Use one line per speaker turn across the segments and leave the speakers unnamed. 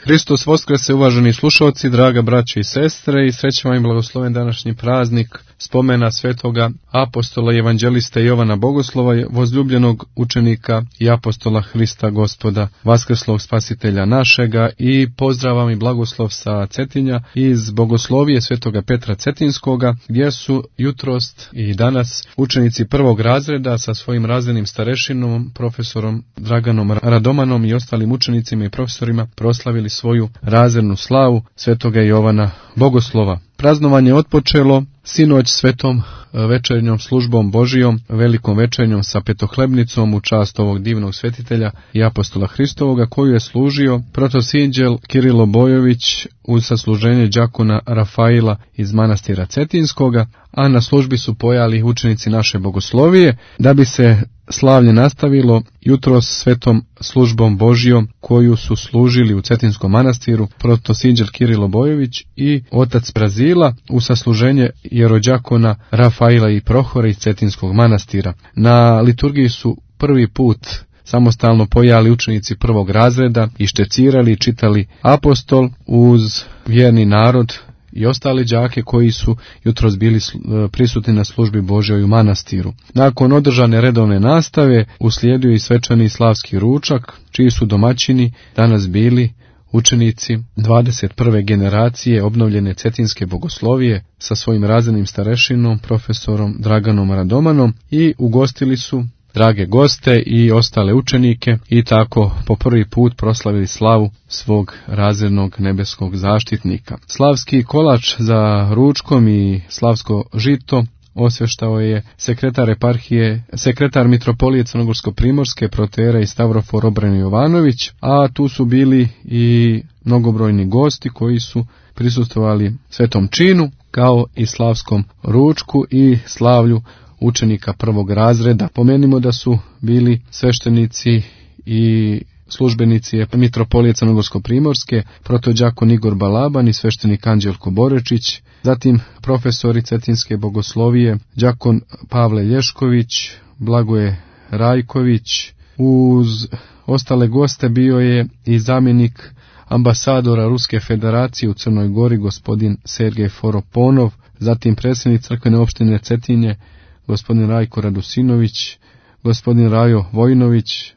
Hristos Voskrese, uvaženi slušalci, draga braće i sestre, i srećan vam i blagosloven današnji praznik spomena svetoga apostola i evanđeliste Jovana Bogoslova, возлюbljenog učenika i apostola Hrista Gospoda, vaskrslog spasitelja našega, i pozdravam i blagoslov sa Cetinja iz Bogoslovije svetoga Petra Cetinskoga, gdje su jutrost i danas učenici prvog razreda sa svojim razrednim starešinom, profesorom Draganom Radomanom i ostalim učenicima i profesorima proslavili svoju razrednu slavu svetoga Jovana Bogoslova. Praznovanje otpočelo sinoć svetom večernjom službom Božijom, velikom večernjom sa petohlebnicom u čast ovog divnog svetitelja i apostola Hristovoga, koju je služio protosinđel Kirilo Bojović uz sasluženje đakona Rafaila iz manastira Cetinskoga, a na službi su pojali učenici naše bogoslovije, da bi se slavlje nastavilo jutros svetom službom Božijom koju su služili u Cetinskom manastiru protosinđel Kirilo Bojović i otac Brazila u sasluženje jerođakona Rafaila i Prohora iz Cetinskog manastira. Na liturgiji su prvi put samostalno pojali učenici prvog razreda i štecirali i čitali apostol uz vjerni narod i ostali đake koji su jutros bili prisutni na službi Božjoj u manastiru. Nakon održane redovne nastave uslijedio i svečani slavski ručak, čiji su domaćini danas bili učenici 21. generacije obnovljene Cetinske bogoslovije sa svojim razrednim starešinom, profesorom Draganom Radomanom, i ugostili su drage goste i ostale učenike i tako po prvi put proslavili slavu svog razrednog nebeskog zaštitnika. Slavski kolač za ručkom i slavsko žito osvještao je sekretar eparhije, sekretar mitropolije Crnogorsko-primorske protoijerej Stavrofor Obren Jovanović, a tu su bili i mnogobrojni gosti koji su prisustvovali svetom činu, kao i slavskom ručku i slavlju učenika prvog razreda. Pomenimo da su bili sveštenici i službenici mitropolije Crnogorsko-primorske, protođakon Igor Balaban i sveštenik Anđelko Borečić, zatim profesori Cetinske bogoslovije, đakon Pavle Lješković, Blagoje Rajković. Uz ostale goste bio je i zamjenik ambasadora Ruske federacije u Crnoj Gori, gospodin Sergej Foroponov, zatim predsjednik crkvene opštine Cetinje, gospodin Rajko Radusinović, gospodin Rajo Vojnović,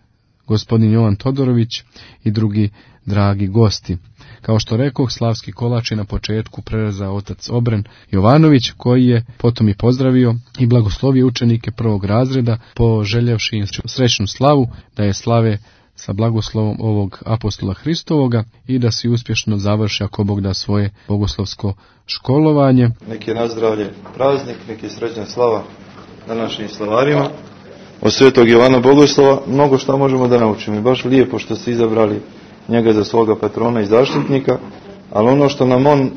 gospodin Jovan Todorović i drugi dragi gosti. Kao što rekoh, slavski kolač je na početku prerezao otac Obren Jovanović, koji je potom i pozdravio i blagoslovio učenike prvog razreda, poželjevši im srećnu slavu, da je slave sa blagoslovom ovog apostola Hristovoga i da si uspješno završi, ako Bog da, svoje bogoslovsko školovanje.
Nek je nazdravlje praznik, nek je srećna slava današnjim slavarima. Od svetog Jovana Bogoslova mnogo što možemo da naučimo. I baš lijepo što ste izabrali njega za svoga patrona i zaštitnika, ali ono što nam on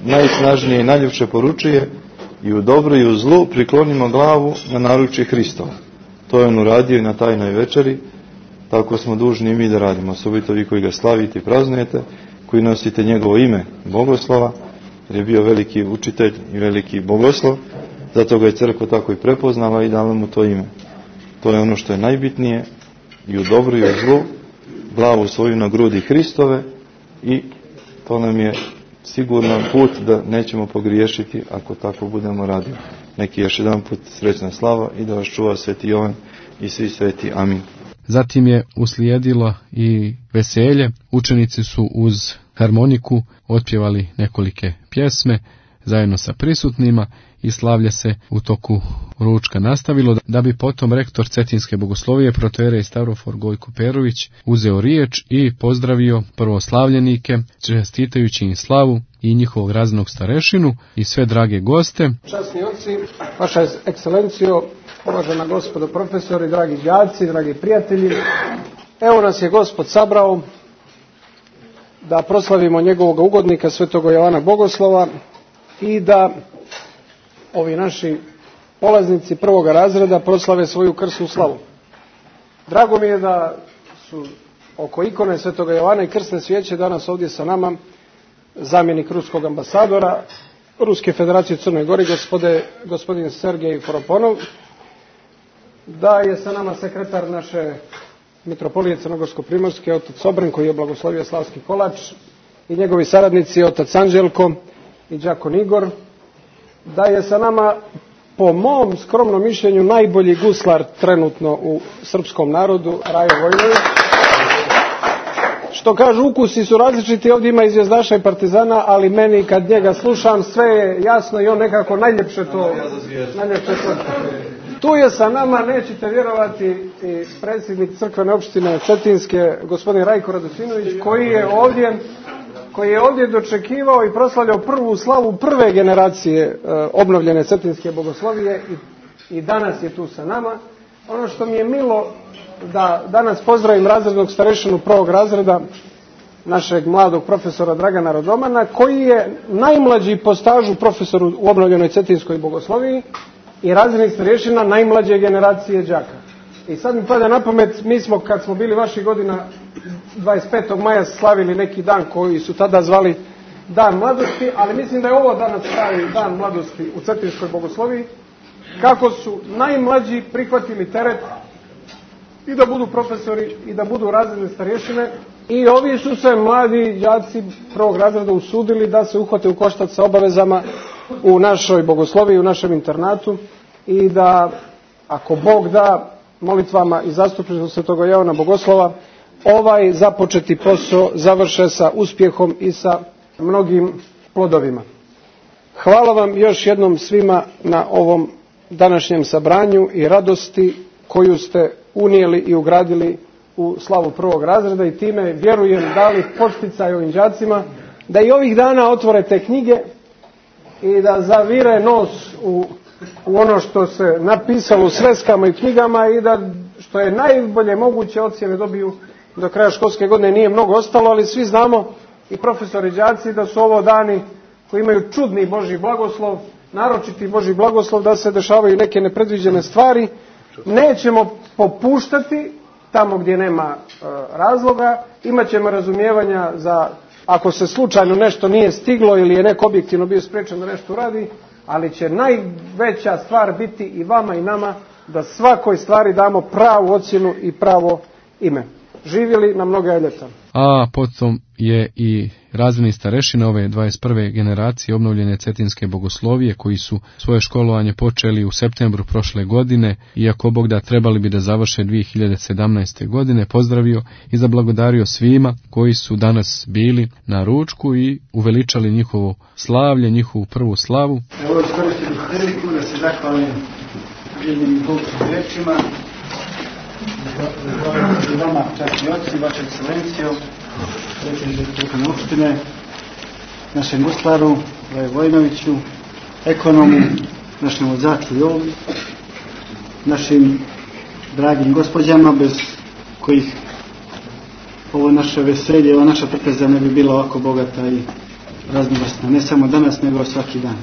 najsnažnije i najljepše poručuje: i u dobru i u zlu priklonimo glavu na naručje Hristova. To je on uradio i na tajnoj večeri. Tako smo dužni i mi da radimo, osobito vi koji ga slavite i praznujete, koji nosite njegovo ime Bogoslova, jer je bio veliki učitelj i veliki bogoslov, zato ga je crkva tako i prepoznala i dala mu to ime. To je ono što je najbitnije, i u dobru i u zlu glavu svoju na grudi Hristove, i to nam je siguran put da nećemo pogriješiti ako tako budemo radili. Neki još jedan put srećna slava i da vas čuva sveti Jovan i svi sveti. Amin.
Zatim je uslijedilo i veselje. Učenici su uz harmoniku otpjevali nekolike pjesme zajedno sa prisutnima i slavlje se u toku ručka nastavilo, da bi potom rektor Cetinske bogoslovije protoijerej Stavrofor Gojko Perović uzeo riječ i pozdravio prvoslavljenike, čestitajući im slavu i njihovog razrednog starešinu i sve drage goste.
Časni oci, vaša ekscelencijo, uvažena gospodo profesori, dragi đaci, dragi prijatelji, evo nas je Gospod sabrao da proslavimo njegovog ugodnika svetog Jovana Bogoslova i da ovi naši polaznici prvog razreda proslave svoju krsnu slavu. Drago mi je da su oko ikone svetoga Jovana i krsne svijeće danas ovdje sa nama zamjenik ruskog ambasadora Ruske federacije u Crnoj Gori, gospodin Sergej Foroponov, da je sa nama sekretar naše mitropolije Crnogorsko-primorske, otac Sobren koji je blagoslovio Slavski kolač i njegovi saradnici otac Anđelko i đakon Igor, da je sa nama po mom skromnom mišljenju najbolji guslar trenutno u srpskom narodu, Rajo Vojnović. Što kažu, ukusi su različiti, ovdje ima i zvjezdaša i partizana, ali meni kad njega slušam sve je jasno i on nekako najljepše to. Tu je sa nama, nećete vjerovati, i predsjednik crkvene opštine Cetinske, gospodin Rajko Radosinović, koji je ovdje dočekivao i proslavljao prvu slavu prve generacije obnovljene Cetinske bogoslovije i danas je tu sa nama. Ono što mi je milo da danas pozdravim razrednog starešinu prvog razreda, našeg mladog profesora Dragana Rodomana, koji je najmlađi po stažu profesor u obnovljenoj Cetinskoj bogosloviji i razrednik starešina najmlađe generacije đaka. I sad mi pada na pamet, mi smo kad smo bili vaših godina 25. maja slavili neki dan koji su tada zvali Dan mladosti, ali mislim da je ovo danas pravi Dan mladosti u Cetinskoj bogosloviji, kako su najmlađi prihvatili teret i da budu profesori i da budu razredne starješine, i ovi su se mladi đaci prvog razreda usudili da se uhvate u koštac sa obavezama u našoj bogosloviji, u našem internatu, i da, ako Bog da, molitvama i zastupništvom Svetog Jovana Bogoslova ovaj započeti posao završe sa uspjehom i sa mnogim plodovima. Hvala vam još jednom svima na ovom današnjem sabranju i radosti koju ste unijeli i ugradili u slavu prvog razreda i time, vjerujem, dali podsticaj ovim đacima da i ovih dana otvore te knjige i da zavire nos u ono što se napisalo u sveskama i knjigama i da, što je najbolje moguće, ocjene dobiju do kraja školske godine. Nije mnogo ostalo, ali svi znamo, i profesori i đaci, da su ovo dani koji imaju čudni Božji blagoslov, naročiti Božji blagoslov, da se dešavaju neke nepredviđene stvari. Nećemo popuštati tamo gdje nema razloga, imat ćemo razumijevanja za ako se slučajno nešto nije stiglo ili je neko objektivno bio spriječen da nešto uradi, ali će najveća stvar biti i vama i nama da svakoj stvari damo pravu ocjenu i pravo ime. Živjeli na mnoga ljeta.
A potom je i razredni starešina ove 21. generacije obnovljene Cetinske bogoslovije, koji su svoje školovanje počeli u septembru prošle godine, iako Bog da trebali bi da završe 2017. godine, pozdravio i zablagodario svima koji su danas bili na ručku i uveličali njihovo slavlje, njihovu prvu slavu.
Evo iskoristim priliku da se zahvalim jednim Bogskim rečima i vama, časni oci, vaša ekscelencijo, predsjedniče crkvene opštine, našem guslaru, Rajo Vojnoviću, ekonomu, našem vozaču Jovi, našim dragim gospođama, bez kojih ovo naše veselje, ova naša trpeza ne bi bila ovako bogata i raznovrsna, ne samo danas, nego svaki dan.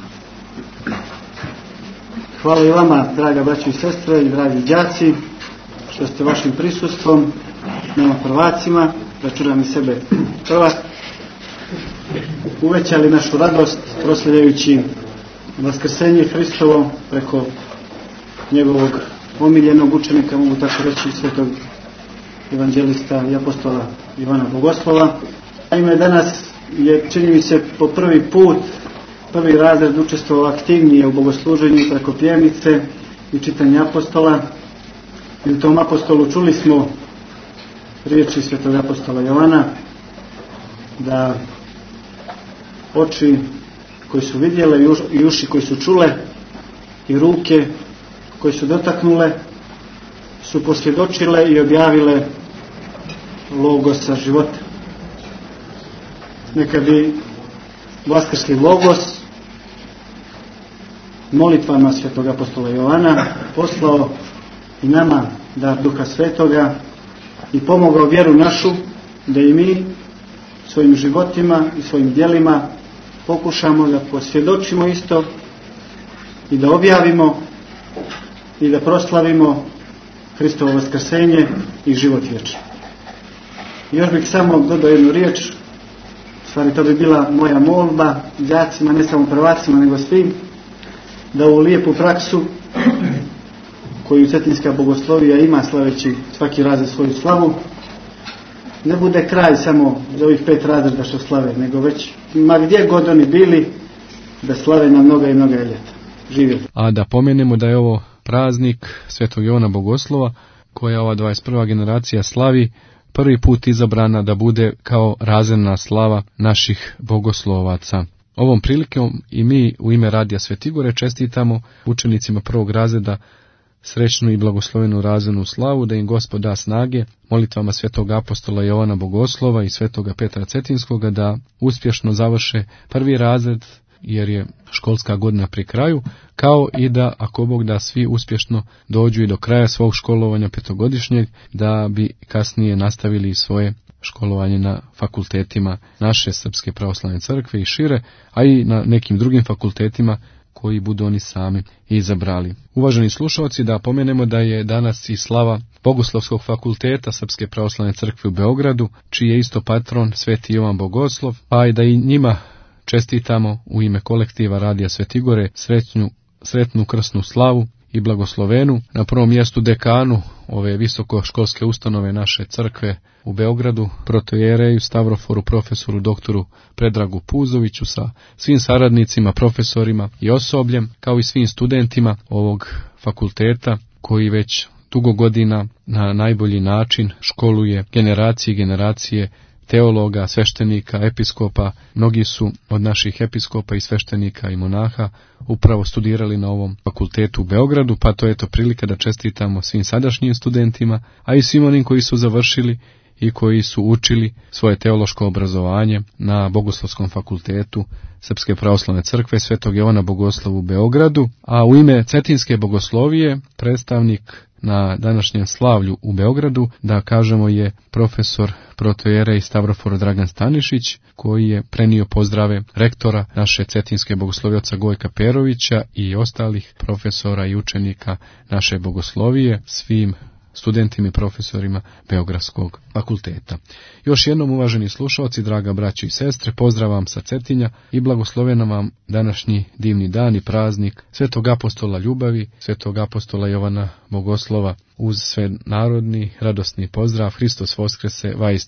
Hvala i vama, draga braćo i sestre i dragi đaci, što ste vašim prisustvom, nama prvacima, računam i sebe prvak, uvećali našu radost proslavljajući vaskrsenje Hristovo preko njegovog omiljenog učenika, mogu tako reći, svetog evanđelista i apostola Ivana Bogoslova. Naime, danas je, čini mi se, po prvi put prvi razred učestvovao aktivnije u bogosluženju preko pjevnice i čitanja apostola. I u tom apostolu čuli smo riječi svetog apostola Jovana da oči koji su vidjele i uši koji su čule i ruke koje su dotaknule su posvjedočile i objavile logosa života. Neka bi vaskrski logos molitvama svetog apostola Jovana poslao i nama dar Duha Svetoga i pomogao vjeru našu da i mi svojim životima i svojim djelima pokušamo da posvjedočimo isto i da objavimo i da proslavimo Hristovo vaskrsenje i život vječni. Još bih samo dodao jednu riječ, u stvari to bi bila moja molba đacima, ne samo prvacima nego svim, da ovu lijepu praksu koju Cetinska bogoslovija ima slaveći svaki razred svoju slavu, ne bude kraj samo za ovih 5 razreda što slave, nego već ma gdje god oni bili, da slave na mnoga i mnoga ljeta. Živjeli.
A da pomenemo da je ovo praznik Svetog Jovana Bogoslova, koja ova 21. generacija slavi, prvi put izabrana da bude kao razredna slava naših bogoslovaca. Ovom prilikom i mi u ime Radija Svetigore čestitamo učenicima prvog razreda srećnu i blagoslovenu razrednu slavu, da im Gospod da snage molitvama svetog apostola Jovana Bogoslova i svetoga Petra Cetinskoga da uspješno završe prvi razred, jer je školska godina pri kraju, kao i da, ako Bog da, svi uspješno dođu i do kraja svog školovanja petogodišnjeg, da bi kasnije nastavili svoje školovanje na fakultetima naše Srpske pravoslavne crkve i šire, a i na nekim drugim fakultetima koji budu oni sami izabrali. Uvaženi slušalci, da pomenemo da je danas i slava Bogoslovskog fakulteta Srpske pravoslavne crkve u Beogradu, čiji je isto patron Sveti Jovan Bogoslov, pa i da i njima čestitamo u ime kolektiva Radija Svetigore sretnu krsnu slavu i blagoslovenu. Na prvom mjestu dekanu ove visokoškolske ustanove naše crkve u Beogradu, protojereju Stavroforu, profesoru doktoru Predragu Puzoviću sa svim saradnicima, profesorima i osobljem, kao i svim studentima ovog fakulteta koji već dugo godina na najbolji način školuje generacije i generacije teologa, sveštenika, episkopa. Mnogi su od naših episkopa i sveštenika i monaha upravo studirali na ovom fakultetu u Beogradu, pa to je to prilika da čestitamo svim sadašnjim studentima, a i svim onim koji su završili i koji su učili svoje teološko obrazovanje na Bogoslovskom fakultetu Srpske pravoslavne crkve Svetog Jovana Bogoslova u Beogradu. A u ime Cetinske bogoslovije predstavnik na današnjem slavlju u Beogradu, da kažemo, je profesor protojerej Stavrofor Dragan Stanišić, koji je prenio pozdrave rektora naše Cetinske bogoslovije oca Gojka Perovića i ostalih profesora i učenika naše bogoslovije, svim studentima i profesorima Beogradskog fakulteta. Još jednom, uvaženi slušalci, draga braćo i sestre, pozdrav vam sa Cetinja i blagoslovena vam današnji divni dan i praznik Svetog apostola ljubavi, Svetog apostola Jovana Bogoslova. Uz sve narodni radosni pozdrav, Hristos Voskrese, vaistinu